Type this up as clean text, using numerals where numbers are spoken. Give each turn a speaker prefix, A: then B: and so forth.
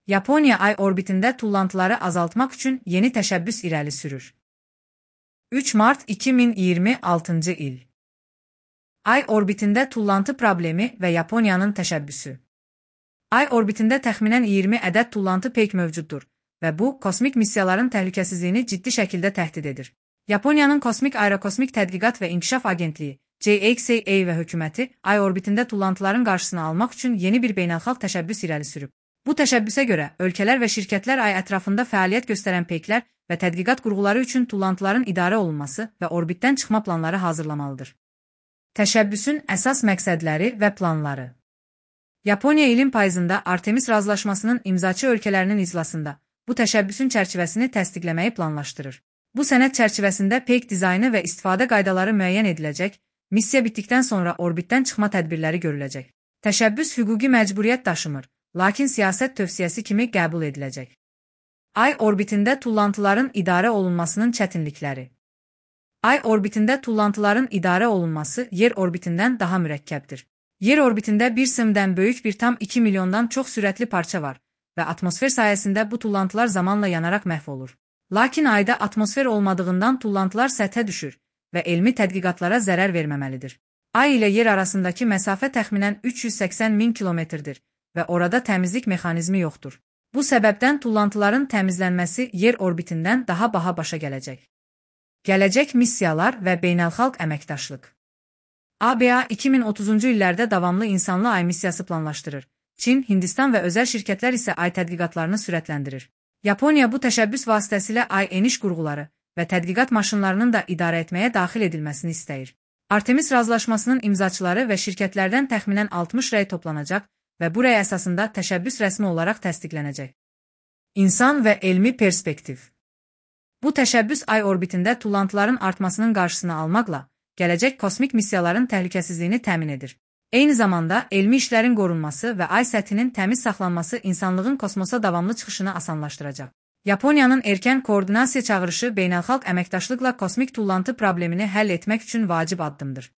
A: Yaponiya ay orbitində tullantıları azaltmaq üçün yeni təşəbbüs irəli sürür. 3 mart 2026 il. Ay orbitində tullantı problemi və Yaponiyanın təşəbbüsü. Ay orbitində təxminən 20 ədəd tullantı peyk mövcuddur və bu, kosmik missiyaların təhlükəsizliyini ciddi şəkildə təhdid edir. Yaponiyanın Kosmik Aerokosmik Tədqiqat və İnkişaf Agentliyi, JXAA və hökuməti ay orbitində tullantıların qarşısını almaq üçün yeni bir beynəlxalq təşəbbüs irəli sürüb. Bu təşəbbüsə görə, ölkələr və şirkətlər ay ətrafında fəaliyyət göstərən peyklər və tədqiqat qurğuları üçün tullantıların idarə olunması və orbitdən çıxma planları hazırlamalıdır. Təşəbbüsün əsas məqsədləri və planları. Yaponiya ilin payızında Artemis razılaşmasının imzaçı ölkələrinin iclasında bu təşəbbüsün çərçivəsini təsdiqləməyi planlaşdırır. Bu sənəd çərçivəsində peyk dizaynı və istifadə qaydaları müəyyən ediləcək, missiya bitdikdən sonra orbitdən çıxma tədbirləri görüləcək. Təşəbbüs hüquqi məcburiyyət daşımır, lakin siyasət tövsiyəsi kimi qəbul ediləcək. Ay orbitində tullantıların idarə olunmasının çətinlikləri. Ay orbitində tullantıların idarə olunması yer orbitindən daha mürəkkəbdir. Yer orbitində 1,2 milyondan çox sürətli parça var və atmosfer sayəsində bu tullantılar zamanla yanaraq məhv olur. Lakin ayda atmosfer olmadığından tullantılar səthə düşür və elmi tədqiqatlara zərər verməməlidir. Ay ilə yer arasındakı məsafə təxminən 380 min kilometrdir və orada təmizlik mexanizmi yoxdur. Bu səbəbdən tullantıların təmizlənməsi yer orbitindən daha baha başa gələcək. Gələcək missiyalar və beynəlxalq əməkdaşlıq. ABA 2030-cu illərdə davamlı insanlı ay missiyası planlaşdırır. Çin, Hindistan və özəl şirkətlər isə ay tədqiqatlarını sürətləndirir. Yaponiya bu təşəbbüs vasitəsilə ay eniş qurğuları və tədqiqat maşınlarının da idarə etməyə daxil edilməsini istəyir. Artemis razılaşmasının imzaçıları və şirkətlərdən təxminən 60 rəy toplanacaq və bu rəy əsasında təşəbbüs rəsmi olaraq təsdiqlənəcək. İnsan və elmi perspektiv. Bu təşəbbüs ay orbitində tullantıların artmasının qarşısını almaqla gələcək kosmik missiyaların təhlükəsizliyini təmin edir. Eyni zamanda elmi işlərin qorunması və ay səthinin təmiz saxlanması insanlığın kosmosa davamlı çıxışını asanlaşdıracaq. Yaponiyanın erkən koordinasiya çağırışı beynəlxalq əməkdaşlıqla kosmik tullantı problemini həll etmək üçün vacib addımdır.